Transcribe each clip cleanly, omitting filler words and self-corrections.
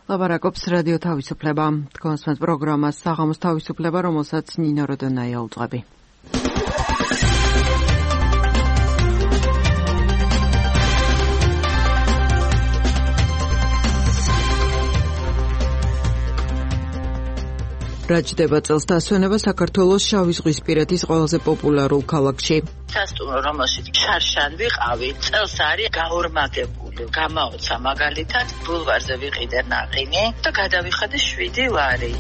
ლაპარაკობს რადიო თავისუფლება. თქვენს პროგრამას საღამოს თავისუფლება, რომელსაც ნინო როდონაია უძღვები. რაჯდება წელს დასვენება საქართველოს შავიზღვისპირეთის ყველაზე პოპულარულ ქალაქში. სასტუმრო, რომელშიც შარშან ვიყავი, წელს არის გაორმაგებული. გამაოცა მაგალითად, ბულვარზე ვიყიდე ნაყინი და გადავიხადე 7 ლარი.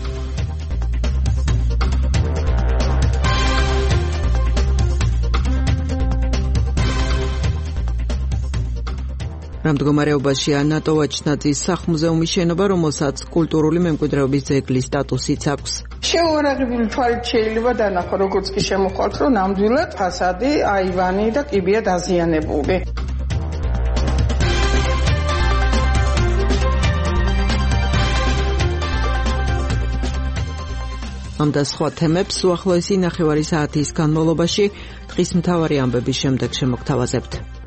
რა მდგომარეობაშია ნატო ვაჩნაძის სახლ-მუზეუმის შენობა, რომელსაც კულტურული მემკვიდრეობის ძეგლის სტატუსიც აქვს. შეუარაღებული თვალით შეიძლება დანახო, როგორც კი შემოხვალთ, რომ ნამდვილად ფასადი, აივანი და კიბეა დაზიანებული. ამ და სხვა თემებს უახლოესი ნახევარი საათის განმავლობაში დღის მთავარი ამბების შემდეგ შემოგთავაზებთ.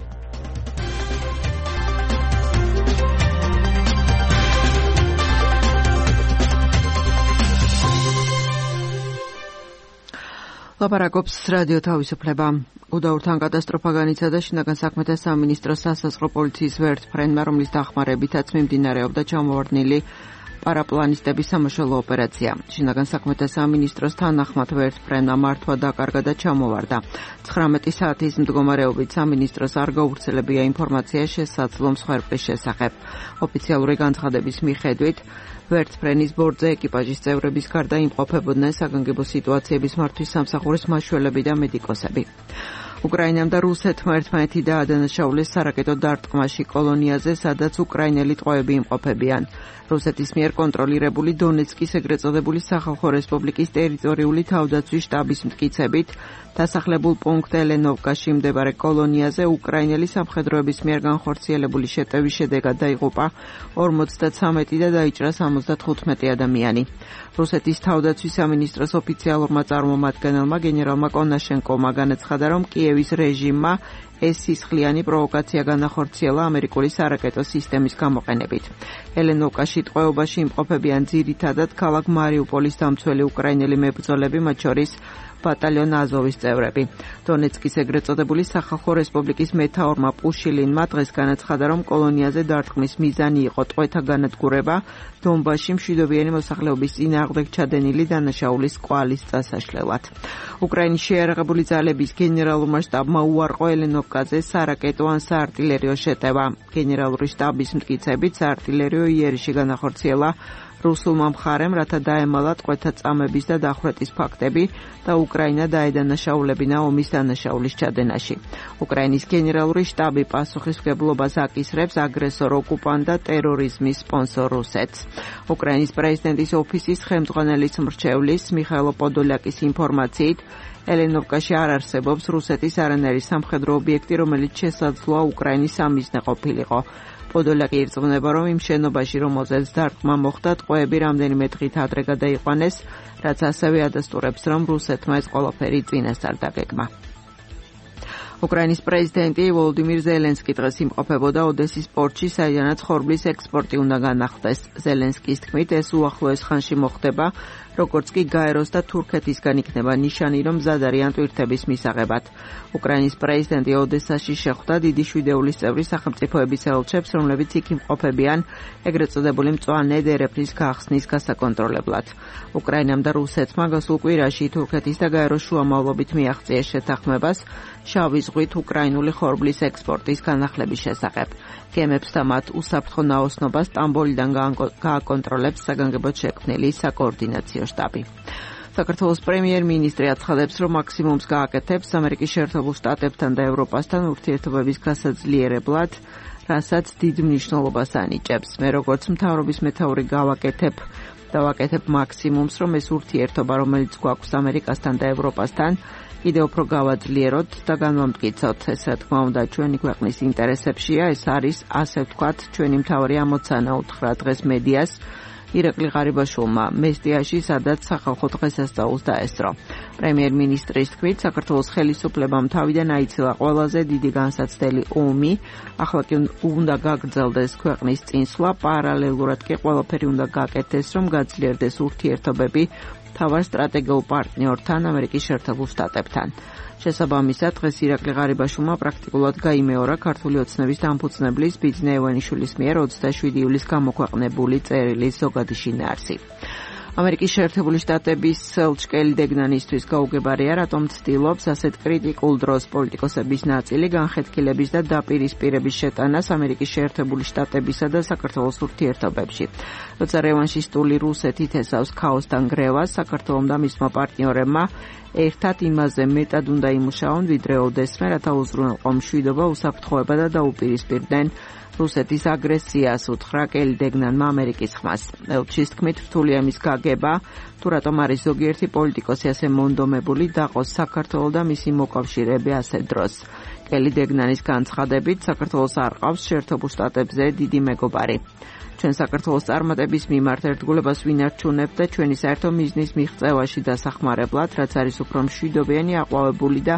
ლაპარაკობს რადიო თავისუფლება. უდაურთან კატასტროფა განიცადა შინაგან საქმეთა სამინისტროს სასაზღვრო პოლიციის ვერტმფრენმა, რომლის დახმარებითაც მიმდინარეობდა ჩამოვარდნილი პარაპლანისტების სამაშველო ოპერაცია. შინაგან საქმეთა სამინისტროს თანახმად ვერტმფრენმა მართვა დაკარგა და ჩამოვარდა. 19 საათის მდგომარეობით სამინისტროს არ გაუვრცელებია ინფორმაცია შესაძლო მსხვერპლის შესახებ. ოფიციალური განცხადების მიხედვით ვერტმფრენის ბორტზე ეკიპაჟის წევრების გარდა იმყოფებოდნენ საგანგებო სიტუაციების მართვის სამსახურის მაშველები და მედიკოსები. უკრაინამ და რუსეთმა ერთმანეთი დაადანაშაულეს სარაკეტო დარტყმაში კოლონიაზე, სადაც უკრაინელი ტყვეები იმყოფებიან. რუსეთის მიერ კონტროლირებული დონეცკის ეგრეთ წოდებული სახალხო რესპუბლიკის ტერიტორიული თავდაცვის შტაბის მტკიცებით, დასახლებულ პუნქტ ელენოვკაში მდებარე კოლონიაზე უკრაინელი სამხედროების მიერ განხორციელებული შეტევის შედეგად დაიღუპა 53 და დაიჭრა 75 ადამიანი. რუსეთის თავდაცვის სამინისტროს ოფიციალურმა წარმომადგენელმა გენერალმა კონაშენკოვმა განაცხადა, რომ კიევის რეჟიმმა ეს სისხლიანი პროვოკაცია განახორციელა ამერიკული სარაკეტო სისტემის გამოყენებით. ელენოვკაში ტყვეობაში იმყოფებიან ძირითადად ქალაქ მარიუპოლის დამცველი უკრაინელი მებრძოლები, მათ შორის ბატალიონ აზოვის წევრები. დონეცკის ეგრეთ წოდებული სახალხო რესპუბლიკის მეთაურმა პუშილინმა დღეს განაცხადა, რომ კოლონიაზე დარტყმის მიზანი იყო ტყვეთა განადგურება დონბასში მშვიდობიანი მოსახლეობის წინააღმდეგ ჩადენილი დანაშაულის კვალის წასაშლელად. უკრაინის შეიარაღებული ძალების გენერალურმა შტაბმა უარყო ელენოვკაზე სარაკეტო ან საარტილერიო შეტევა. გენერალური შტაბის მტკიცებით საარტილერიო იერიში განახორციელა რუსულმა მხარემ, რათა დაემალა ტყვეთა წამების და დახვრეტის ფაქტები და უკრაინა დაედანაშაულებინა ომის დანაშაულის ჩადენაში. უკრაინის გენერალური შტაბი პასუხისმგებლობას აკისრებს აგრესორ ოკუპანტ და ტერორიზმის სპონსორ რუსეთს. უკრაინის პრეზიდენტის ოფისის ხელმძღვანელის მრჩევლის მიხაილო პოდოლაკის ინფორმაციით, ელენოვკაში არ არსებობს რუსეთის არანაირი სამხედრო ობიექტი, რომელიც შესაძლოა უკრაინის სამიზნე ყოფილიყო. პოდოლაკი ირწმუნება, რომ იმ შენობაში, რომელზეც დარტყმა მოხდა, ტყვეები რამდენიმე დღით ადრე გადაიყვანეს, რაც ასევე ადასტურებს, რომ რუსეთმა ეს ყველაფერი წინასწარ დაგეგმა. უკრაინის პრეზიდენტი ვოლოდიმირ ზელენსკი დღეს იმყოფებოდა ოდესის პორტში, საიდანაც ხორბლის ექსპორტი უნდა განახდეს. ზელენსკის თქმით, ეს უახლოეს ხანში მოხდება, როგორც კი გაეროს და თურქეთისგან იქნება ნიშანი, რომ მზად არიან ტვირთების მისაღებად. უკრაინის პრეზიდენტი ოდესაში შეხვდა დიდი შვიდეულის წევრი სახელმწიფოების ელჩებს, რომლებიც იქ იმყოფებიან ეგრეთ წოდებული მწვანე დერეფნის გახსნის გასაკონტროლებლად. უკრაინამ და რუსეთმა გასულ კვირაში თურქეთის და გაეროს შუამავლობით მიაღწიეს შეთანხმებას შავი ზღვით უკრაინული ხორბლის ექსპორტის განახლების შესახებ. გემებს და მათ უსაფრთხო ნაოსნობას სტამბოლიდან გააკონტროლებს საგანგებოდ შექმნილი საკოორდინაციო შტაბი. საქართველოს პრემიერ-მინისტრი აცხადებს, რომ მაქსიმუმს გააკეთებს ამერიკის შეერთებულ შტატებთან და ევროპასთან ურთიერთობების გასაძლიერებლად, რასაც დიდ მნიშვნელობას ანიჭებს. მე როგორც მთავრობის მეთაური გავაკეთებ მაქსიმუმს, რომ ეს ურთიერთობა, რომელიც გვაქვს ამერიკასთან და ევროპასთან, კიდევ უფრო გავაძლიეროთ და განვამტკიცოთ. ეს რა თქმა უნდა ჩვენი ქვეყნის ინტერესებშია, ეს არის ასე ვთქვათ ჩვენი მთავარი ამოცანა უთხრა დღეს მედიას ირაკლი ღარიბაშვილმა მესტიაში, სადაც სახალხო დღესასწაულს დაესწრო. პრემიერ-მინისტრის თქმით, საქართველოს ხელისუფლებამ თავიდან აიცილა ყველაზე დიდი განსაცდელი ომი, ახლა კი უნდა გაგრძელდეს ქვეყნის წინსვლა, პარალელურად კი ყველაფერი უნდა გაკეთდეს, რომ გაძლიერდეს ურთიერთობები თავარ სტრატეგიულ პარტნიორთან, ამერიკის შეერთებულ შტატებთან. შესაბამისად, დღეს ირაკლი ღარიბაშვილმა პრაქტიკულად გაიმეორა ქართული ოცნების დამფუძნებლის ბიძინა ევანიშვილის მიერ 27 ივლისს გამოქვეყნებული წერილის ზოგადი შინაარსი. ამერიკის შეერთებული შტატების ელჩი დეგნანისთვის გაუგებარია, რატომ ცდილობს ასეთ კრიტიკულ დროს პოლიტიკოსების ნაწილი განხეთქილების და დაპირისპირების შეტანას ამერიკის შეერთებული შტატებისა და საქართველოს ურთიერთობებში. როცა რევანშისტული რუსეთით ესავს ქაოსთან გრევას, საქართველომ და მისმა პარტნიორებმა ერთად იმაზე მეტად უნდა იმუშაონ, ვიდრე ოდესმე, რათა უზრუნველყო მშვიდობა, უსაფრთხოება და დაუპირისპირდნენ რუსეთის აგრესიას, უთხრა კელი დეგნანმა ამერიკის ხმას. ელჩის თქმით, რთულია იმის გაგება, თუ რატომ არის ზოგიერთი პოლიტიკოსი ასე მონდომებული დაყოს საქართველო და მისი მოკავშირეები ასეთ დროს. კელი დეგნანის განცხადებით, საქართველოს არ ყავს შეერთებულ შტატებზე დიდი მეგობარი. ჩვენ საქართველოს წარმატების მიმართ ერთგულებას ვინარჩუნებთ და ჩვენი საერთო მიზნის მიღწევაში დასახმარებლად, რაც არის უფრო მშვიდობიანი, აყვავებული და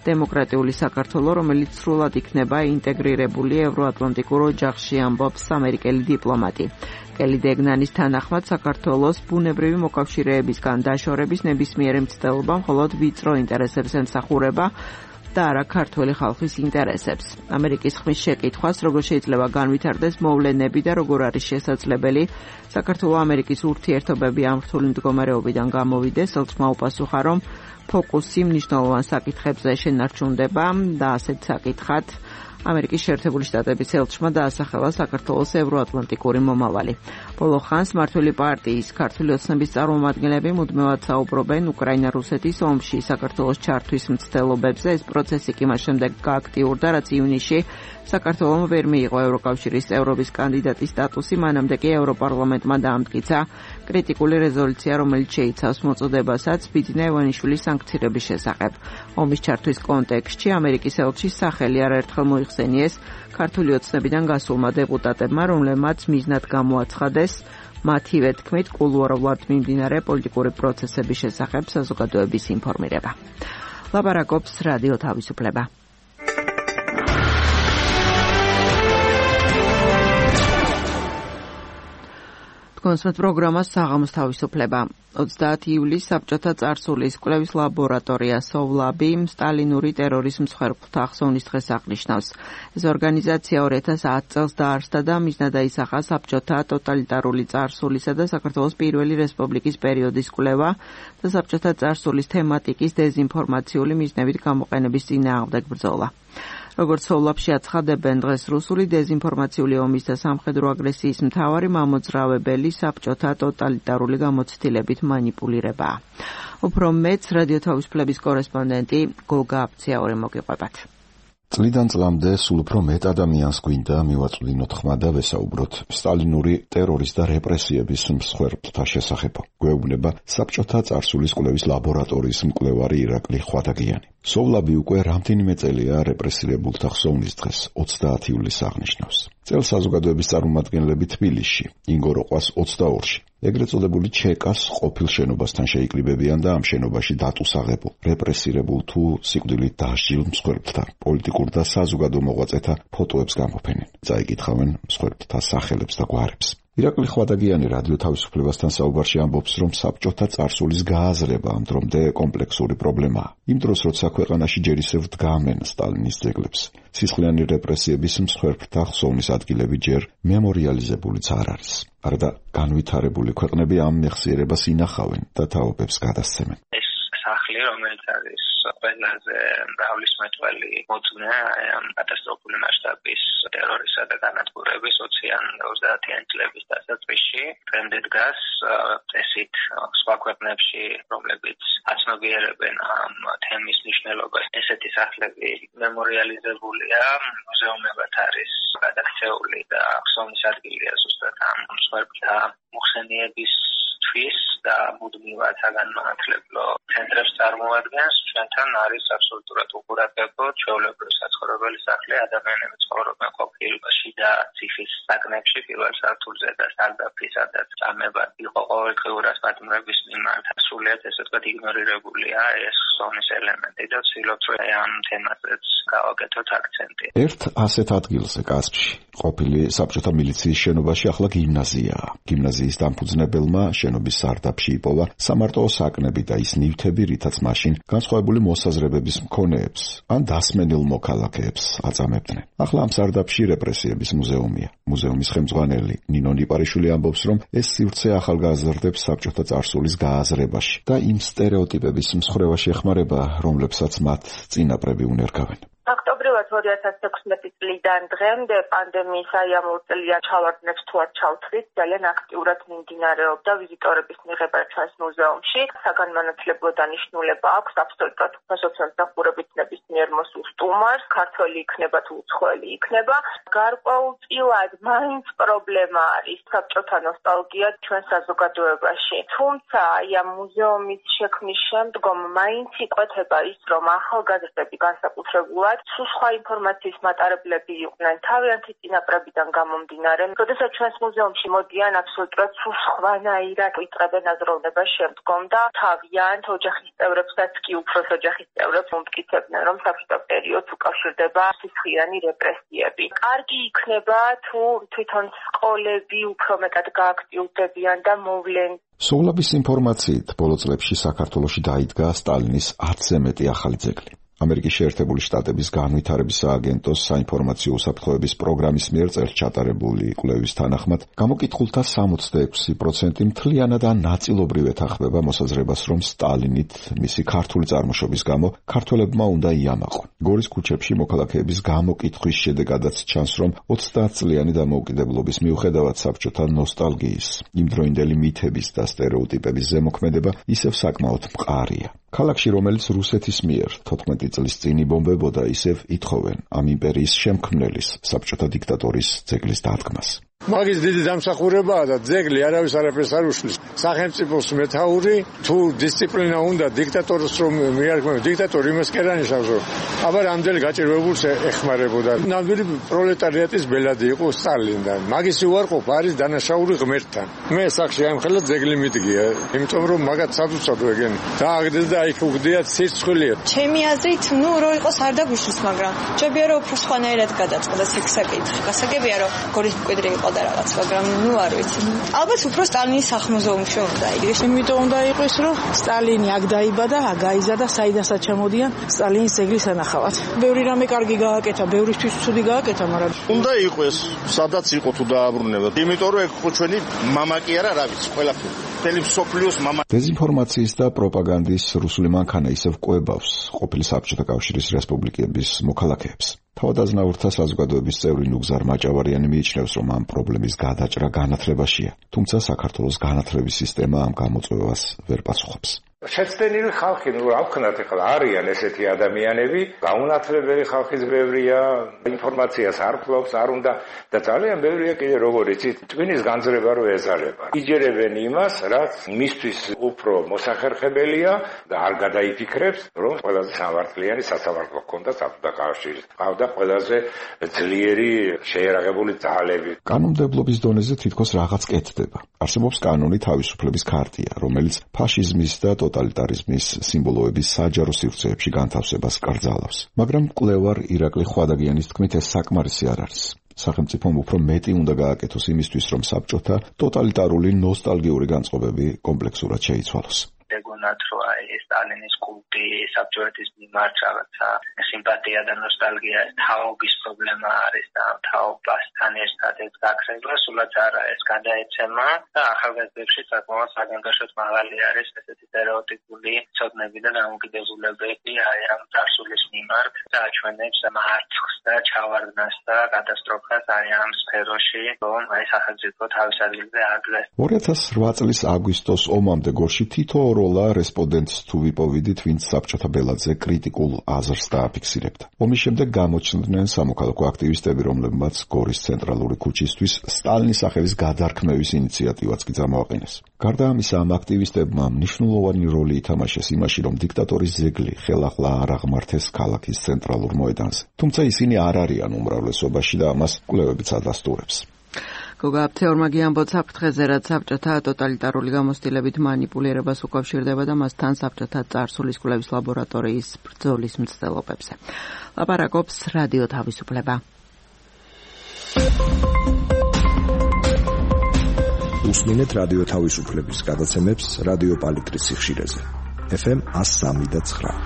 დემოკრატიული საქართველო, რომელიც სრულად იქნება ინტეგრირებული ევროატლანტიკურ ოჯახში, ამბობს ამერიკელი დიპლომატი. კელი დეგნანის თანახმად, საქართველოს ბუნებრივი მოკავშირეებისგან დაშორების ნებისმიერი მცდელობა მხოლოდ ვიწრო ინტერესებს ემსახურება და არა ქართველი ხალხის ინტერესებს. ამერიკის ხმის შეკითხვას, როგორ შეიძლება განვითარდეს მოვლენები და როგორ არის შესაძლებელი საქართველო-ამერიკის ურთიერთობები ამ რთული მდგომარეობიდან გამოვიდეს, ელჩმა უპასუხა, რომ ფოკუსი მნიშვნელოვან საკითხებზე შენარჩუნდება და ასეთ საკითხად ამერიკის შეერთებული შტატების ელჩმა დაასახელა საქართველოს ევროატლანტიკური მომავალი. ბოლო ხანს მმართველი პარტიის ქართული ოცნების წარმომადგენლები მუდმივად საუბრობენ უკრაინა-რუსეთის ომში საქართველოს ჩართვის მცდელობებზე. ეს პროცესი კი მას შემდეგ გააქტიურდა, რაც ივნისში საქართველომ ვერ მიიღო ევროკავშირის წევრობის კანდიდატის სტატუსი, მანამდე კი ევროპარლამენტმა დაამტკიცა კრიტიკული რეზოლუცია, რომელიც შეიცავს მოწოდებასაც ბიძინა ევანიშვილის სანქციების შესახებ. ომის ჩართვის კონტექსტში ამერიკის ელჩის სახელი არაერთხელ მოიხსენიეს ქართული ოცნებიდან გასულმა დეპუტატებმა, რომლებმაც მიზნად გამოაცხადეს მათივე თქმით კულუარულად მიმდინარე პოლიტიკური პროცესების შესახებ საზოგადოების ინფორმირება. ლაპარაკობს რადიო თავისუფლება. კონსმეთ პროგრამა საღამოს თავისუფლება. 30 ივლისს საბჭოთა წარსულის კვლევის ლაბორატორია სოვლაბი სტალინური ტერორის მსხვერპლთა ახსოვნის დღეს აღნიშნავს. ეს ორგანიზაცია 2010 წელს დაარსდა და მიზნად აისახა საბჭოთა ტოტალიტარული წარსულისა და საქართველოს პირველი რესპუბლიკის პერიოდის კვლევა და საბჭოთა წარსულის თემატიკის დეზინფორმაციული მიზნებით გამოყენების წინააღმდეგ ბრძოლა. როგორც სოვლაბში აცხადებენ, დღეს რუსული დეზინფორმაციული ომის და სამხედრო აგრესიის მთავარი მამოძრავებელი საბჭოთა ტოტალიტარული გამოცდილებით მანიპულირებაა. უფრო მეც რადიო თავისუფლების კორესპონდენტი გოგა აფციაური მოგიყვებათ. წლიდან წლამდე სულ უფრო მეტ ადამიანს გვინდა მივაწვდინოთ ხმა და ვესაუბროთ სტალინური ტერორის და რეპრესიების მსხვერპლთა შესახებ. გვეუბნება საბჭოთა წარსულის კვლევის ლაბორატორიის მკვლევარი ირაკლი ხვადაგიანი. სოვლაბი უკვე რამდენიმე წელია რეპრესირებულთა ხსოვნის დღეს 30 ივლისს აღნიშნავს. წელს საზოგადოების წარმომადგენლები თბილისში, ინგოროყვას 22-ში, ეგრეთ წოდებული ჩეკას ყოფილ შენობასთან შეიკრიბებიან და ამ შენობაში დატუსაღებულ, რეპრესირებულ თუ სიკვდილით დასჯილ მსხვერპლთა, პოლიტიკურ და საზოგადო მოღვაწეთა ფოტოებს გამოფენენ. წაიკითხავენ მსხვერპლთა სახელებს და გვარებს. ირაკლი ხვადაგიანი რადიო თავისუფლებასთან საუბარში ამბობს, რომ საბჭოთა წარსულის გააზრება ამ დრომდე კომპლექსური პრობლემაა. იმ დროს, როცა ქვეყანაში ჯერ ისევ დგამენ სტალინის ძეგლებს, სისხლიანი რეპრესიების მსხვერპლთა ხსოვნის ადგილები ჯერ მემორიალიზებულიც არ არის. არადა განვითარებული ქვეყნები ამ მეხსიერებას ინახავენ და თაობებს გადასცემენ. სახლი, რომელიც არის ყველაზე მრავლისმეტყველი მოწმე ამ კატასტროფული მასშტაბის ტერორისა და განადგურების 20-30-იან წლების დასაწყისში, დღემდე დგას წესით სხვა ქვეყნებში, რომლებიც აცნობიერებენ ამ თემის მნიშვნელობას. ესეთი სახლები მემორიალიზებულია, მუზეუმებად არის გადაქცეული და ხსოვნის ადგილია ზუსტად ამ მსხვერპლთა მოხსენიებისთვის და მუდმივად საგანმანათლებლო ცენტრებს წარმოადგენს, ჩვენთან არის აბსოლუტურად უყურადღებო ჩვეულებრივი საცხოვრებელი სახლი, ადამიანები ცხოვრობენ ყოფილობაში და ციხის საგნებში პირველ სართულზე და სარდაფი, სადაც წამება იყო ყოველდღიურად პატიმრების მიმართ. სრულიად ესე ვთქვათ იგნორირებულია ეს ხსოვნის ელემენტი და ვცდილობთ რომ ამ თემაზეც გავაკეთოთ აქცენტი. ერთ ასეთ ადგილზე კასპში ყოფილი საბჭოთა მილიციის შენობაში ახლა გიმნაზიაა. გიმნაზიის დამფუძნებელმა შენობის სარდაფში იპოვა სამარტოო საკნები და ის ნივთები, რითაც მაშინ განსხვავებული მოსაზრებების მქონეებს ან დასმენილ მოქალაქეებს აწამებდნენ. ახლა ამ სარდაფში რეპრესიების მუზეუმია. მუზეუმის ხელმძღვანელი ნინო ნიპარიშვილი ამბობს, რომ ეს სივრცე ახალგაზრდებს საბჭოთა წარსულის გააზრებაში და იმ სტერეოტიპების მსხრევაში ეხმარება, რომლებსაც მათ წინაპრები უნერგავენ. ფაქტობრივად 2016 წლიდან დღემდე პანდემიის ამოწელიან ჩავარდნებს თუ არ ჩავთვლით, ძალიან აქტიურად მიმდინარეობდა ვიზიტორების მიღება ჩვენს მუზეუმში. საგანმანათლებლო დანიშნულება აქვს აბსოლუტურად სოციალ-სამსახურებით ნებისმიერ მოსულ სტუმარს, ქართველი იქნება თუ უცხოელი იქნება. გარკვეულწილად მაინც პრობლემა არის საბჭოთა ნოსტალგია ჩვენ საზოგადოებაში. თუმცა ამ მუზეუმის შექმნის შემდგომ მაინც იკვეთება ის, რომ ახალგაზრდები განსაკუთრებულად სულ სხვა ინფორმაციის მატარებლები იყვნენ თავიანთი წინაპრებიდან გამომდინარე. როდესაც ჩვენს მუზეუმში მოდიან აბსოლუტურად სულ სხვანაირად ვიწყებენ აზროვნებას შემდგომ და თავიანთ ოჯახის წევრებსაც კი უფროს ოჯახის წევრებს უმტკიცებდნენ, რომ საბჭოთა პერიოდს უკავშირდება სისხლიანი რეპრესიები. კარგი იქნება თუ თვითონ სკოლები უფრო მეტად გააქტიურდებიან და მოვლენ. სოვლაბის ინფორმაციით ბოლო წლებში საქართველოში დაიდგა სტალინის 10-ზე მეტი ახალი ძეგლი. ამერიკის შეერთებული შტატების განვითარების სააგენტოს საინფორმაციო უსაფრთხოების პროგრამის მიერ წელს ჩატარებული კვლევის თანახმად, გამოკითხულთა 66% მთლიანად ან ნაწილობრივ ეთანხმება მოსაზრებას, რომ სტალინით მისი ქართული წარმოშობის გამო ქართველებმა უნდა იამაყონ. გორის ქუჩებში მოქალაქეების გამოკითხვის შედეგადაც ჩანს, რომ 30 წლიანი დამოუკიდებლობის მიუხედავად საბჭოთა ნოსტალგიის, იმდროინდელი მითების და სტერეოტიპების ზემოქმედება ისევ საკმაოდ მყარია. ქალაქში, რომელიც რუსეთის მიერ 14 წლის წინ იბომბებოდა, ისევ ითხოვენ ამ იმპერიის შემქმნელის, საბჭოთა დიქტატორის ძეგლის დადგმას. მაგის დიდი დამსახურებაა და ძეგლი არავის არაფერს არ უშლის. სახელმწიფოს მეთაური თუ დისციპლინა უნდა დიქტატორს რომ მიარქმევს, დიქტატორი იმას კი არ ანიშნავს, რომ აბა რამდენი გაჭირვებულს ეხმარებოდა. ნამდვილი პროლეტარიატის ბელადი იყო სტალინიდან. მაგის უარყოფა არის დანაშაული ღმერთთან. მე სახში ამხელა ძეგლი მიდგია, იმიტომ რომ მაგათ სადუცადო ეგენ დააგდეს და იქ უგდიათ სირცხვილია. ჩემი აზრით, რო იყოს არ დაგვიშლის, მაგრამ ჯობია რომ უფრო სხვანაირად გადაწყდეს ეგ საკითხი. გასაგებია რომ გორის მკვიდრი იყო და რაღაც, მაგრამ არ ვიცი. ალბათ უფრო სტალინის სახლ-მუზეუმში უნდა იყოს. იმიტომ უნდა იყოს, რომ სტალინი აქ დაიბადა, აქ გაიზარდა, საიდანაც ჩამოდიან სტალინის ძეგლის ანახავად. ბევრი რამე კარგი გააკეთა, ბევრისთვის ცუდი გააკეთა, მაგრამ უნდა იყოს, სადაც იყო თუ დააბრუნება. იმიტომ რომ ეგ ხო ჩვენი მამა კი არა, რა ვიცი, ყველაფერი. მთელი მსოფლიოს მამა. დეზინფორმაციის და პროპაგანდის რუსული მანქანა ისევ კვებავს ყოფილი საბჭოთა კავშირის რესპუბლიკების მოქალაქეებს. თავადაზნაურთა საზოგადოების წევრი ნუგზარ მაჭავარიანი მიიჩნევს, რომ ამ პრობლემის გადაჭრა განათლებაშია, თუმცა საქართველოს განათლების სისტემა ამ გამოწვევას ვერ პასუხობს. შეცდენილი ხალხი, რა ვქნათ ახლა, არიან ესეთი ადამიანები, გაუნათლებელი ხალხის ბევრია, ინფორმაციას არ ფლობს, არ უნდა და ძალიან ბევრია კიდე როგორ იცით, ტვინის განძრება რო ეძალება. იჯერებენ იმას, რაც მისთვის უფრო მოსახერხებელია და არ გადაიფიქრებს, რომ ყველაზე სამართლიანი სასამართლო ჰქონდა საბჭოთა კავშირის. ყავდა ყველაზე ძლიერი შეერაღებული ძალები. კანონმდებლობის დონეზე თითქოს რაღაც კეთდება. არსებობს კანონი თავისუფლების ქარტია, რომელიც ფაშიზმის და ტოტალიტარიზმის სიმბოლოების საჯარო სივრცეებში განთავსებას კრძალავს. მაგრამ მკვლევარ ირაკლი ხვადაგიანის თქმით, ეს საკმარისი არ არის. სახელმწიფომ უფრო მეტი უნდა გააკეთოს იმისთვის, რომ საბჭოთა ტოტალიტარული ნოსტალგიური განწყობები კომპლექსურად შეიცვალოს. გეგონათ რომ აი სტალინის კულტი საბჭოეთის მიმართ რაღაცა სიმპათია და ნოსტალგია თაობის პრობლემა არის და თაობასთან ერთად ეს გაქრება სულაც არა ეს გადაეცემა და ახალგაზრდებში საკმაოდ საგანგაშოდ მაღალი არის ესეთი სტერეოტიპული ცოდნები და დამოკიდებულებები აი ამ წარსულის მიმართ და აჩვენებს მარცხს და ჩავარდნას და კატასტროფას აი ამ სფეროში რომ აი სახელმწიფო თავის ადგილზე აგდეს. 2008 წლის აგვისტოს ომამდე გორში თითო როლა რესპონდენტს თუ ვიპოვიდით, ვინც საბჭოთა ბელადზე კრიტიკულ აზრს დააფიქსირებდა. ომის შემდეგ გამოჩნდნენ სამოქალაქო აქტივისტები, რომლებმაც გორის ცენტრალური ქუჩისთვის სტალინის სახელის გადარქმევის ინიციატივაც კი წამოაყენეს. გარდა ამისა, ამ აქტივისტებმა მნიშვნელოვანი როლი ითამაშეს იმაში, რომ დიქტატორის ზეგლი ხელახლა არ აღმართეს ქალაქის ცენტრალურ მოედანზე. თუმცა ისინი არ არიან უმრავლესობაში და ამას კვლევებიც ადასტურებს. გოგა აფთეორმა გიამბობს საფრთხეზე, რაც საბჭოთა ტოტალიტარული გამოცდილებით მანიპულირებას უკავშირდება და მასთან საბჭოთა წარსულის კვლევის ლაბორატორიის ბრძოლის მცდელობებზე. ლაპარაკობს რადიო თავისუფლება. უსმინეთ რადიო თავისუფლების გადაცემებს რადიო პალიტრის სიხშირეზე. FM 103.9.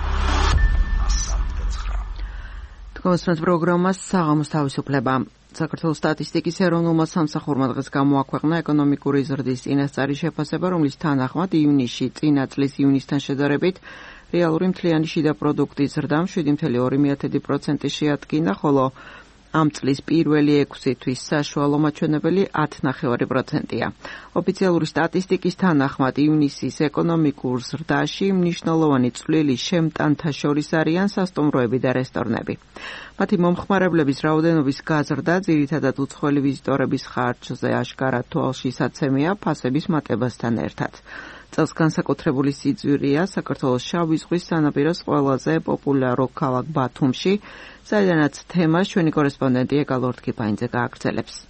თქვენს პროგრამას საღამოს თავისუფლება. საქართველოს სტატისტიკის ეროვნულმა სამსახურმა დღეს გამოაქვეყნა ეკონომიკური ზრდის წინასწარი შეფასება, რომლის თანახმად ივნისში წინა წლის ივნისთან შედარებით რეალური მთლიანი შიდა პროდუქტის ზრდამ 7.2% შეადგინა, ხოლო ამ წლის პირველი 6 თვის საშუალო მაჩვენებელი 10.9%-ია. ოფიციალური სტატისტიკის თანახმად ივნისის ეკონომიკურ ზრდაში მნიშვნელოვანი წვლილი შემტანთა შორის არიან სასტუმროები და რესტორნები. მათი მომხმარებლების რაოდენობის გაზრდა ძირითადად უცხოელი ვიზიტორების ხარჯზე აშკარად თვალშისაცემია ფასების მატებასთან ერთად. წელს განსაკუთრებული სიძვირია საქართველოს შავი ზღვის სანაპიროს ყველაზე პოპულარო ქალაქ ბათუმში, საიდანაც თემას ჩვენი კორესპონდენტი ეკალორდ კიფაინძე გააგრძელებს.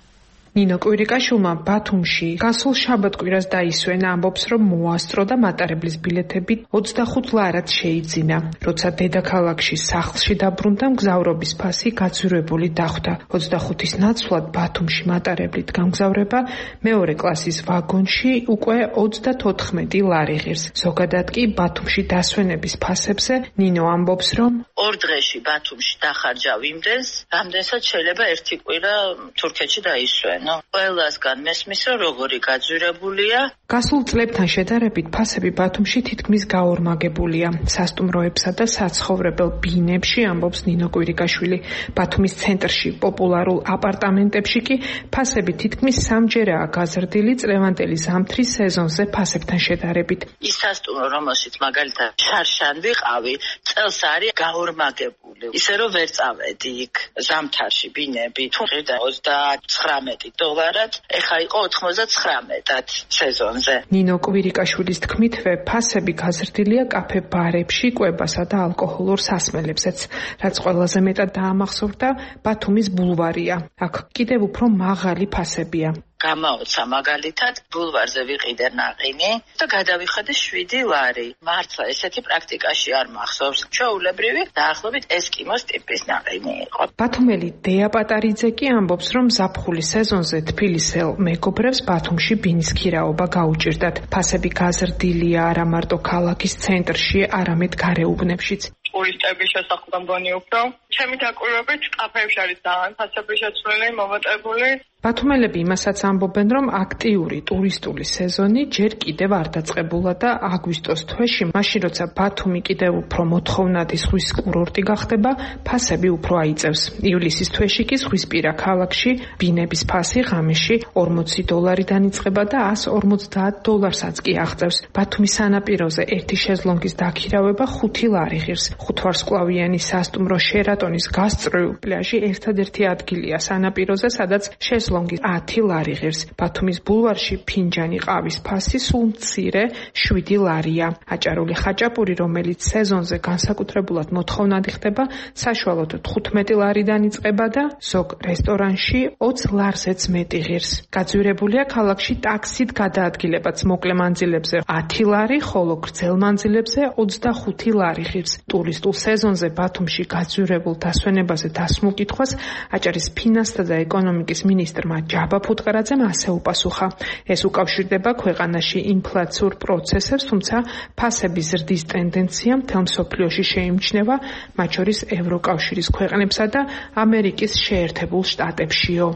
ნინო კვირიკაშვილმა ბათუმში გასულ შაბათ-კვირას დაისვენა, ამბობს, რომ მოასწრო და მატარებლის ბილეთები 25 ლარად შეიძინა. როცა დედაქალაქში სახლში დაბრუნდა, მგზავრობის ფასი გაძვირებული დახვდა. 25-ის ნაცვლად ბათუმში მატარებლით გამგზავრება მეორე კლასის ვაგონში უკვე 34 ლარი ღირს. ზოგადად კი ბათუმში დასვენების ფასებზე ნინო ამბობს, რომ ორ დღეში ბათუმში დახარჯავ იმდენს, რამდენსაც შეიძლება ერთი კვირა თურქეთში დაისვენ. ყველასგან მესმის, რომ როგორი გაძვირებულია. გასულ წლებთან შედარებით ფასები ბათუმში თითქმის გაორმაგებულია. სასტუმროებსა და საცხოვრებელ ბინებში, ამბობს ნინო კვირიკაშვილი. ბათუმის ცენტრში პოპულარულ აპარტამენტებში კი ფასები თითქმის სამჯერაა გაზრდილი წლევანდელი ზამთრის სეზონზე ფასებთან შედარებით. ის სასტუმრო, რომელშიც მაგალითად შარშან ვიყავი, წელს არის გაორმაგებული. ისე რომ ვერ წავედი იქ ზამთარში ბინები, თუ ღირდა 39 დოლარად, ეხა იყო 99-ად სეზონზე. ნინო კვირიკაშვილის თქმითვე, ფასები გაზრდილია კაფე-ბარებში, კვებასა და ალკოჰოლურ სასმელებზეც, რაც ყველაზე მეტად დაამახსოვრდა ბათუმის ბულვარია. აქ კიდევ უფრო მაღალი ფასებია. გამაოცა მაგალითად ბულვარზე ვიყიდე ნაყინი და გადავიხადე 7 ლარი. მართლა ესეთი პრაქტიკაში არ მახსოვს. ჩვეულებრივი დაახლოებით ესკიმოს ტიპის ნაყინი იყო. ბათუმელი დეა პატარიძე კი ამბობს, რომ ზაფხულის სეზონზე თბილისელ მეგობრებს ბათუმში ბინის ქირაობა გაუჭირდათ. ფასები გაზრდილია არა მარტო ქალაქის ცენტრში, არამედ გარეუბნებშიც. ტურისტების შესახებ მგონი უფრო. ჩემი დაკვირვებით კაფეებში არის ძალიან ფასები შეცვლილი, მომატებული. ბათუმელები იმასაც ამბობენ, რომ აქტიური ტურისტული სეზონი ჯერ კიდევ არ დაწყებულა და აგვისტოს თვეში, მაშინ როცა ბათუმი კიდევ უფრო მოთხოვნადი ზღვის კურორტი გახდება, ფასები უფრო აიწევს. ივლისის თვეში კი ზღვისპირა ქალაქში ბინების ფასი ღამეში 40 დოლარიდან იწყება და 150 დოლარსაც კი აღწევს. ბათუმის სანაპიროზე ერთი შეზლონგის დაქირავება 5 ლარი ღირს. ხუთვარსკვლავიანი სასტუმრო შერატონის გასწრულ პლაჟი ერთადერთი ადგილია სანაპიროზე, სადაც ლონგი 10 ლარი ღირს. ბათუმის ბულვარში ფინჯანი ყავის ფასი სულ მცირე 7 ლარია. აჭარული ხაჭაპური, რომელიც სეზონზე განსაკუთრებულად მოთხოვნადი ხდება, საშუალოდ 15 ლარიდან იწყება და ზოგ რესტორანში 20 ლარზეც მეტი ღირს. გაძვირებულია ქალაქში ტაქსით გადაადგილებაც მოკლე მანძილებზე 10 ლარი, ხოლო გრძელ მანძილებზე 25 ლარი ღირს. ტურისტულ სეზონზე ბათუმში გაძვირებულ დასვენებაზე დასმოკითხვას აჭარის ფინანსთა და ეკონომიკის მინისტრ ჯაბა ფუტკარაძემ ასე უპასუხა. ეს უკავშირდება ქვეყანაში ინფლაციურ პროცესებს, თუმცა ფასების ზრდის ტენდენცია მთელ მსოფლიოში შეიმჩნევა, მათ შორის ევროკავშირის ქვეყნებსა და ამერიკის შეერთებულ შტატებშიო.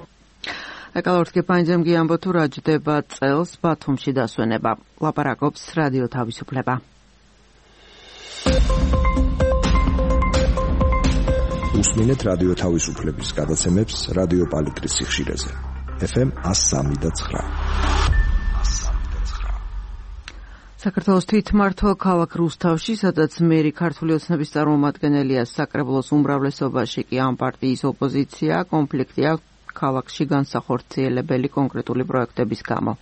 ეკალორდ კიფაინძემ გიამბო, თუ რა ჯდება წელს ბათუმში დასვენება. ლაპარაკობს რადიო თავისუფლება. უსმინეთ რადიო თავისუფლების გადაცემებს რადიო პალიტრის სიხშირეზე. FM 103.9. საქართველოს თვითმმართველ ქალაქ რუსთავში, სადაც მერი ქართული ოცნების წარმომადგენელია, საკრებულოს უმრავლესობაში კი ამ პარტიის ოპოზიცია, კონფლიქტი აქვს ქალაქში განსახორციელებელი კონკრეტული პროექტების გამო.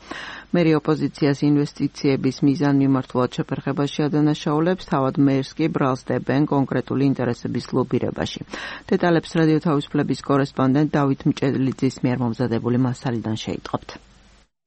მერი ოპოზიციას ინვესტიციების მიზან-მიმართულად შეფერხებაში ადანაშაულებს, თავად მერს კი ბრალს დებენ კონკრეტული ინტერესების ლობირებაში. დეტალებს რადიო თავისუფლების კორესპონდენტ დავით მჭედლიძის მიერ მომზადებული მასალიდან შეიტყობთ.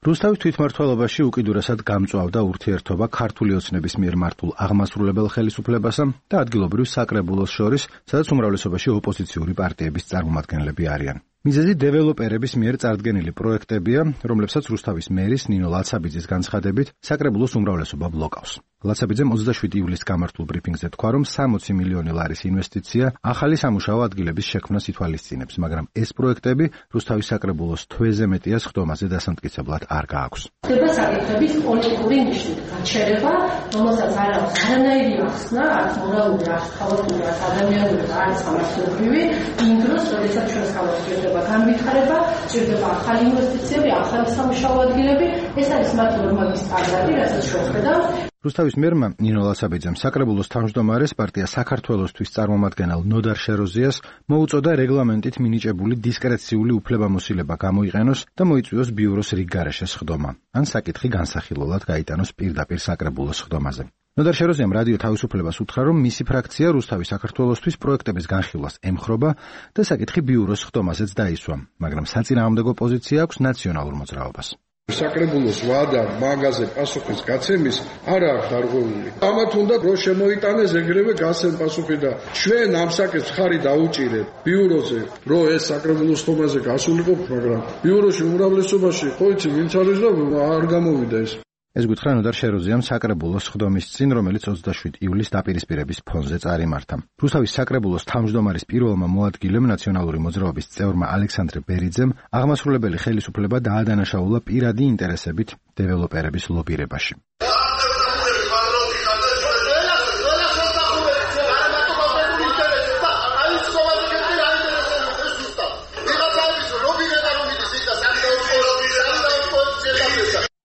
რუსთავის თვითმმართველობაში უკიდურესად გამწვავდა ურთიერთობა ქართული ოცნების მიერ მართულ აღმასრულებელ ხელისუფლებასა და ადგილობრივ საკრებულოს შორის, სადაც უმრავლესობაში ოპოზიციური პარტიების წარმომადგენლები არიან. მიზეზი დეველოპერების მიერ წარდგენილი პროექტებია, რომლებსაც რუსთავის მერის ნინო ლაცაბიძის განცხადებით საკრებულოს უმრავლესობა ბლოკავს. ლაცაბიძემ 27 ივლისს გამართულ ბრიფინგზე თქვა, რომ 60 მილიონი ლარის ინვესტიცია ახალი სამუშაო ადგილების შექმნას ითვალისწინებს, მაგრამ ეს პროექტები რუსთავის საკრებულოს თვეზე მეტიას ხდომაზე დასამტკიცებლად არ გააქვს. ხდება საკითხების პოლიტიკური ნიშნით გაჩერება, რომელსაც არ აქვს არანაირი ახსნა, არც მორალური, არც ქალაქური, არც ადამიანური, არც სამართლებრივი, იმ დროს, როდესაც ჩვენს ქალაქს ჭირდება განვითარება, ჭირდება ახალი ინვესტიციები, ახალი სამუშაო ადგილები, ეს არის მათ ნორმების სტანდარტი, რასაც ჩვენ ხედავთ. რუსთავის მერმა ნინო ლაცაბიძემ საკრებულოს თავმჯდომარეს პარტია საქართველოსთვის წარმომადგენელ ნოდარ შეროზიას მოუწოდა რეგლამენტით მინიჭებული დისკრეციული უფლებამოსილება გამოიყენოს და მოიწვიოს ბიუროს რიგ გარეშეს ხდომა, ან საკითხი განსახილველად გაიტანოს პირდაპირ საკრებულოს ხდომაზე. ნოდარ შეროზიამ რადიო თავისუფლებას უთხრა, რომ მისი ფრაქცია რუსთავის საქართველოსთვის პროექტების განხილვას ემხრობა და საკითხი ბიუროს ხდომაზეც დაისვა, მაგრამ საწინააღმდეგო პოზიცია აქვს ნაციონალურ მოძრაობას. საკრებულოს ვადა მაგაზე პასუხის გაცემის არ აქვს დარღვეული. ამათ უნდა რო შემოიტანეს ეგრევე გასცემ პასუხი და ჩვენ ამ საკითხს ხარი დაუჭირეთ ბიუროზე, რომ ეს საკრებულოს ხდომაზე გასულიყო, მაგრამ ბიუროში უმრავლესობაში ხო იცი ვინც არის და არ გამოვიდა ეს. ეს გითხრა ნოდარ შეროზიამ საკრებულოს ხდომის წინ, რომელიც 27 ივლისს დაპირისპირების ფონზე წარიმართა. რუსთავის საკრებულოს თავმჯდომარის პირველმა მოადგილემ ნაციონალური მოძრაობის წევრმა ალექსანდრე ბერიძემ აღმასრულებელი ხელისუფლება დაადანაშაულა პირადი ინტერესებით დეველოპერების ლობირებაში.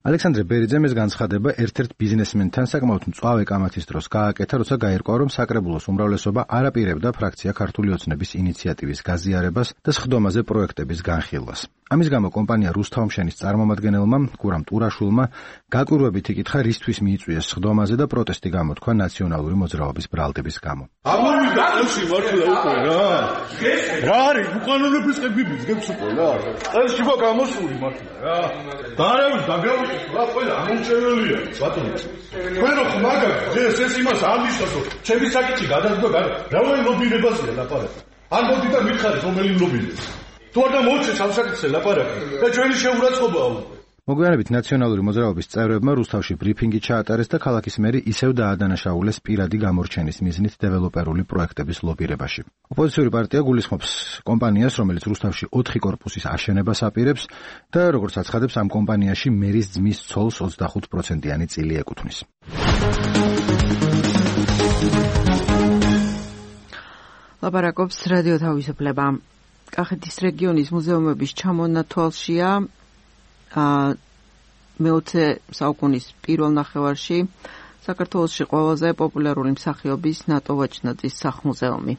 ალექსანდრე ბერიძემ ეს განცხადება ერთ-ერთ ბიზნესმენთან საკმაოდ მწვავე კამათის დროს გააკეთა, როცა გაირკვა, რომ საკრებულოს უმრავლესობა არ აპირებდა ფრაქცია ქართული ოცნების ინიციატივის გაზიარებას და სხდომაზე პროექტების განხილვას. ამის გამო კომპანია რუსთავმშენის წარმომადგენელმა გურამ ტურაშულმა გაკვირვებით იკითხა, რისთვის მიიწვიეს სხდომაზე და პროტესტი გამოთქვა ნაციონალური მოძრაობის ბრალდების გამო. ამოვიდა ყელში მართლა უკვე რა. რა არის უკანონობის ყები ბიზნეს უკვე რა. ყელში ხო გამოსული მართლა რა. დაარევი დაგრავი რა ყველა ამომჩენელია ბატონო. თქვენ რო ხმაგად ეს იმას არ მისასო. ჩემი საკითხი გადადგა რომელი ლობირებაზეა ლაპარაკი. არ მოდი და მითხარით რომელი ლობირებს. თუ არ დამოუჩეს ამ საკითხზე ლაპარაკი და ჩვენი შეურაცხყოფაა უკვე. მოგვიანებით ნაციონალური მოძრაობის წევრებმა რუსთავში ბრიფინგი ჩაატარეს და ქალაქის მერი ისევ დაადანაშაულეს პირადი გამორჩენის მიზნით დეველოპერული პროექტების ლობირებაში. ოპოზიციური პარტია გულისხმობს კომპანიას, რომელიც რუსთავში 4 კორპუსის აშენებას აპირებს და როგორც აცხადებს, ამ კომპანიაში მერის ძმის ცოლს 25%-იანი წილი ეკუთვნის. ლაპარაკობს რადიო თავისუფლება. კახეთის რეგიონის მუზეუმების ჩამონათვალშია მე-20 საუკუნის პირველ ნახევარში საქართველოში ყველაზე პოპულარული მსახიობის ნატო ვაჩნაძის სახლ-მუზეუმი.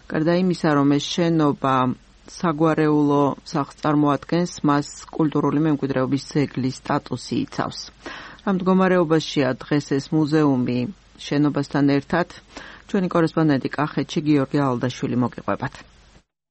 გარდა იმისა, რომ ეს შენობა საგვარეულო სახლს წარმოადგენს, მას კულტურული მემკვიდრეობის ძეგლის სტატუსი იცავს. რა მდგომარეობაშია დღეს ეს მუზეუმი შენობასთან ერთად, ჩვენი კორესპონდენტი კახეთში გიორგი ალდაშვილი მოგიყვებათ.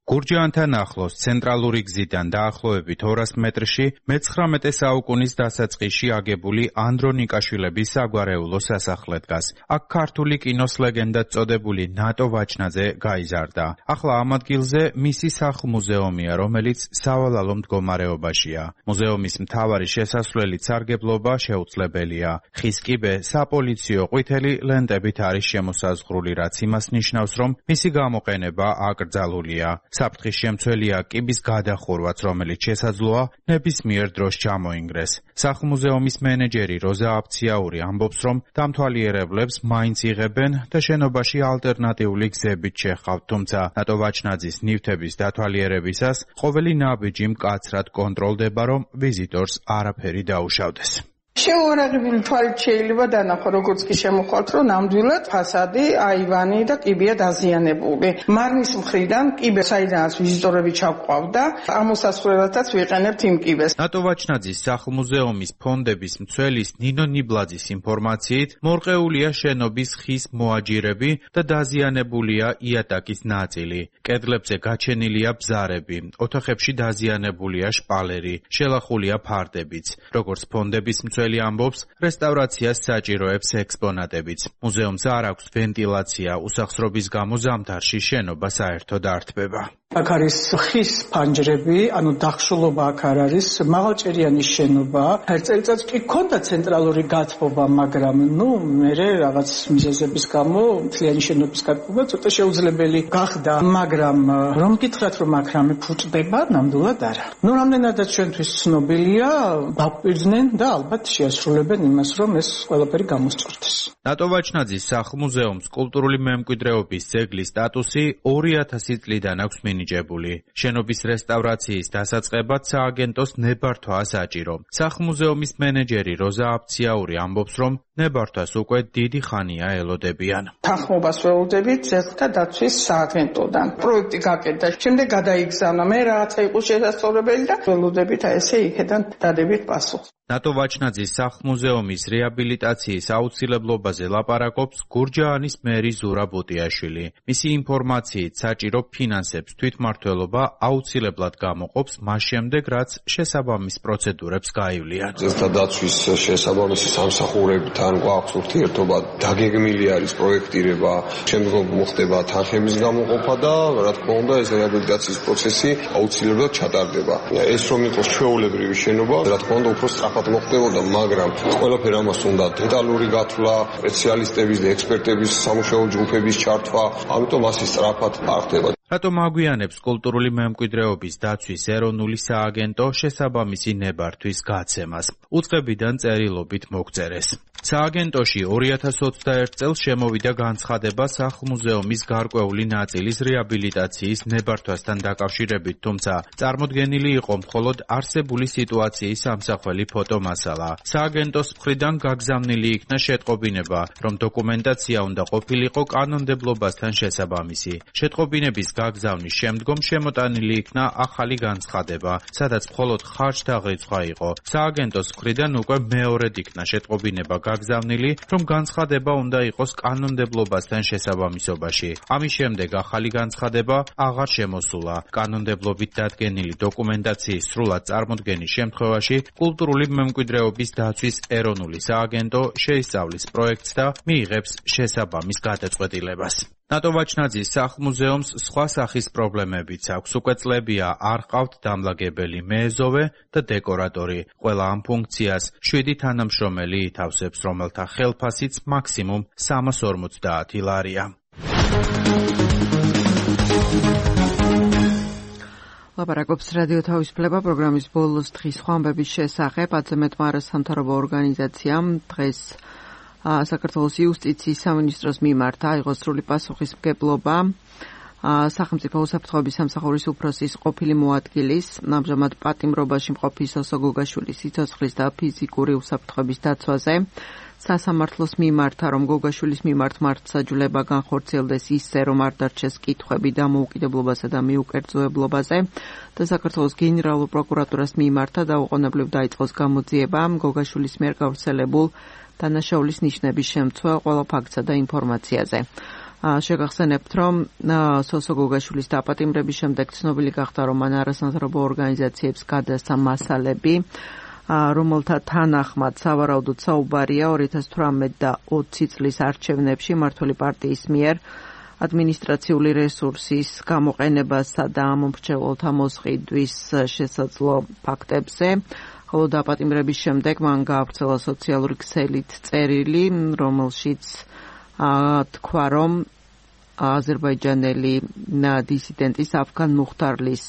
გურჯაანთან ახლოს ცენტრალური გზიდან დაახლოებით 200 მეტრში მე-19 საუკუნის დასაწყისში აგებული ანდრონიკაშვილების საგვარეულო სასახლე დგას. აქ ქართული კინოს ლეგენდად წოდებული ნატო ვაჩნაძე გაიზარდა. ახლა ამ ადგილზე მისი სახლ-მუზეუმია, რომელიც სავალალო მდგომარეობაშია. მუზეუმის მთავარი შესასვლელი სარგებლობა შეუძლებელია. ხის კიბე საპოლიციო ყვითელი ლენტებით არის შემოსაზღვრული, რაც იმას ნიშნავს, რომ მისი გამოყენება აკრძალულია. საფრთხის შემცველია კიბის გადახურვაც, რომელიც შესაძლოა ნებისმიერ დროს ჩამოინგრეს. სახლ-მუზეუმის მენეჯერი როზა აფციაური ამბობს, რომ დამთვალიერებლებს მაინც იღებენ და შენობაში ალტერნატიული გზებით შეჰყავთ, თუმცა ნატო ვაჩნაძის ნივთების დათვალიერებისას ყოველი ნაბიჯი მკაცრად კონტროლდება, რომ ვიზიტორს არაფერი დაუშავდეს. შეუარაღებული თვალით შეიძლება დანახო, როგორც კი შემოხვალთ, რომ ნამდვილად ფასადი, აივანი და კიბეა დაზიანებული. მარნის მხრიდან კიბე, საიდანაც ვიზიტორები ჩაგვყავდა, ამოსასვლელადაც ვიყენებთ იმ კიბეს. ნატო ვაჩნაძის სახლ-მუზეუმის ფონდების მცველის ნინო ნიბლაძის ინფორმაციით, მორყეულია შენობის ხის მოაჯირები და დაზიანებულია იატაკის ნაწილი. კედლებზე გაჩენილია ბზარები, ოთახებში დაზიანებულია შპალერი, შელახულია ფარდებიც. როგორც ფონდების მცველი ამბობს, რესტავრაციას საჭიროებს ექსპონატებიც. მუზეუმს არ აქვს ვენტილაცია, უსახსრობის გამო ზამთარში შენობა საერთოდ არ თბება. აქ არის ხის ფანჯრები, ანუ დახშულობა აქ არ არის, მაღალჭერიანი შენობა. ერთ წელიწადს კი ჰქონდა ცენტრალური გათბობა, მაგრამ მერე რაღაც მიზეზების გამო მთლიანი შენობის გათბობა ცოტა შეუძლებელი გახდა, მაგრამ რომ გითხრათ, რომ აქ რამე ფუჭდება, ნამდვილად არა. რამდენადაც ჩვენთვის ცნობილია, დაგვიძნენ და ალბათ შეასრულებენ იმას, რომ ეს ყველაფერი გამოსწორდეს. ნატო ვაჩნაძის სახლ-მუზეუმს კულტურული მემკვიდრეობის ძეგლის სტატუსი 2000 წლიდან აქვს მინიჭებული. შენობის რესტავრაციის დასაწყებად სააგენტოს ნებართვა საჭირო. სახლ-მუზეუმის მენეჯერი როზა აფციაური ამბობს, რომ ნებართვას უკვე დიდი ხანია ელოდებიან. თანხმობას ველოდებით ძეგლთა დაცვის სააგენტოდან. პროექტი გაკეთდა, შემდეგ გადაიგზავნა, მე რაღაცა იყო შესაძლებელი და ველოდებით ესე იქიდან დადებით პასუხს. ნატო ვაჩნაძის სახლ-მუზეუმის რეაბილიტაციის აუცილებლობაზე ლაპარაკობს გურჯაანის მერი ზურა ბუტიაშვილი. მისი ინფორმაციით საჭირო ფინანსებს თვითმმართველობა აუცილებლად გამოყოფს მას შემდეგ, რაც შესაბამის პროცედურებს გაივლიან. ძეგლთა დაცვის შესაბამისი სამსახურებთან გვაქვს ურთიერთობა, დაგეგმილი არის პროექტირება, შემდგომ მოხდება თანხების გამოყოფა და რა თქმა უნდა ეს რეაბილიტაციის პროცესი აუცილებლად ჩატარდება. ეს რომ იყოს ჩვეულებრივი შენობა, რა თქმა უნდა უფრო სწრაფად მოხდებოდა, მაგრამ ყველაფერი ამას უნდა დეტალური გათვლა, სპეციალისტების და ექსპერტების სამუშაო ჯგუფების ჩართვა, ამიტომ ასე სწრაფად არ ხდება. რატომ აგვიანებს კულტურული მემკვიდრეობის დაცვის ეროვნული სააგენტო შესაბამისი ნებართვის გაცემას? უწყებიდან წერილობით მოგწერეს. სააგენტოში 2021 წელს შემოვიდა განცხადება სახლ-მუზეუმის გარკვეული ნაწილის რეაბილიტაციის ნებართვასთან დაკავშირებით, თუმცა წარმოდგენილი იყო მხოლოდ არსებული სიტუაციის ამსახველი ფოტომასალა. სააგენტოს მხრიდან გაგზავნილი იქნა შეტყობინება, რომ დოკუმენტაცია უნდა ყოფილიყო კანონმდებლობასთან შესაბამისი. შეტყობინების გაგზავნის შემდგომ შემოტანილი იქნა ახალი განცხადება, სადაც მხოლოდ ხარჯთაღრიცხვა იყო. სააგენტოს მხრიდან უკვე მეორედ იქნა შეტყობინება გაგზავნილი, რომ განცხადება უნდა იყოს კანონმდებლობასთან შესაბამისობაში. ამის შემდეგ ახალი განცხადება აღარ შემოსულა. კანონმდებლობით დადგენილი დოკუმენტაციის სრულად წარმოდგენის შემთხვევაში კულტურული მემკვიდრეობის დაცვის ეროვნული სააგენტო შეისწავლის პროექტს და მიიღებს შესაბამის გადაწყვეტილებას. ნატო ვაჩნაძის სახლ-მუზეუმს სხვა სახის პრობლემებიც აქვს. უკვე წლებია არ ყავთ დამლაგებელი მეეზოვე და დეკორატორი. ყველა ამ ფუნქციას 7 თანამშრომელი ითავსებს, რომელთა ხელფასიც მაქსიმუმ 350 ლარია. ლაპარაკობს რადიო თავისუფლება პროგრამის ბოლოს დღის სხვა ამბების შესახებ. აწმეტმა არასამთავრობო ორგანიზაციამ დღეს საქართველოს იუსტიციის სამინისტროს მიმართ აიღო სრული პასუხისმგებლობა სახელმწიფო უსაფრთხოების სამსახურის უფროსის ყოფილი მოადგილის, ამჟამად პატიმრობაში მყოფი სოსო გოგაშვილის სიცოცხლის და ფიზიკური უსაფრთხოების დაცვაზე. სასამართლოს მიმართა, რომ გოგაშვილის მიმართ მართლმსაჯულება განხორციელდეს ისე, რომ არ დარჩეს კითხვები დამოუკიდებლობასა და მიუკერძოებლობაზე და საქართველოს გენერალურ პროკურატურას მიმართა დაუყოვნებლივ დაიწყოს გამოძიება გოგაშვილის მიერ გავრცელებულ დანაშაულის ნიშნების შემცველ ყველა ფაქტსა და ინფორმაციაზე. შეგახსენებთ, რომ სოსო გოგაშვილის დაპატიმრების შემდეგ ცნობილი გახდა, რომ მან არასამთავრობო ორგანიზაციებს გადასცა მასალები, რომელთა თანახმად სავარაუდოდ საუბარია 2018 და 20 წლის არჩევნებში მმართველი პარტიის მიერ ადმინისტრაციული რესურსის გამოყენებასა და ამომრჩეველთა მოსყიდვის შესაძლო ფაქტებზე. ხოლო დაპატიმრების შემდეგ მან გაავრცელა სოციალური ქსელით წერილი, რომელშიც თქვა, რომ აზერბაიჯანელი დისიდენტის აფგან მუხტარლის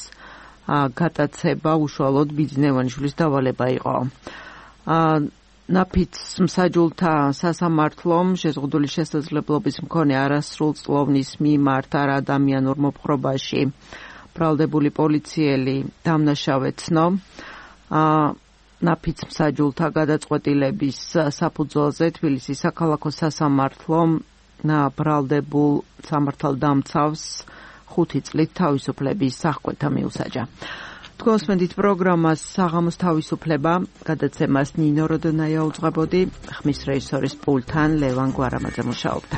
გადაცება უშუალოდ ბიძინევანიშვილის დავალება იყო. ნაფიცმსაჯულთა სასამართლომ შეზღუდული შესაძლებლობის მქონე არასრულწლოვნის მიმართ არ ადამიანურ მოპყრობაში ბრალდებული პოლიციელი დამნაშავე ცნო. ნაფიც მსაჯულთა გადაწყვეტილების საფუძველზე თბილისის საქალაქო სასამართლომ ბრალდებულ სამართალდამცავს 5 წლით თავისუფლების აღკვეთა მიუსაჯა. თქვენს მედით პროგრამას საღამოს თავისუფლება გადაცემას ნინო როდონაია უძღვებოდი, ხმის რეჟისორის პულტთან ლევან გვარამაძე მუშაობდა.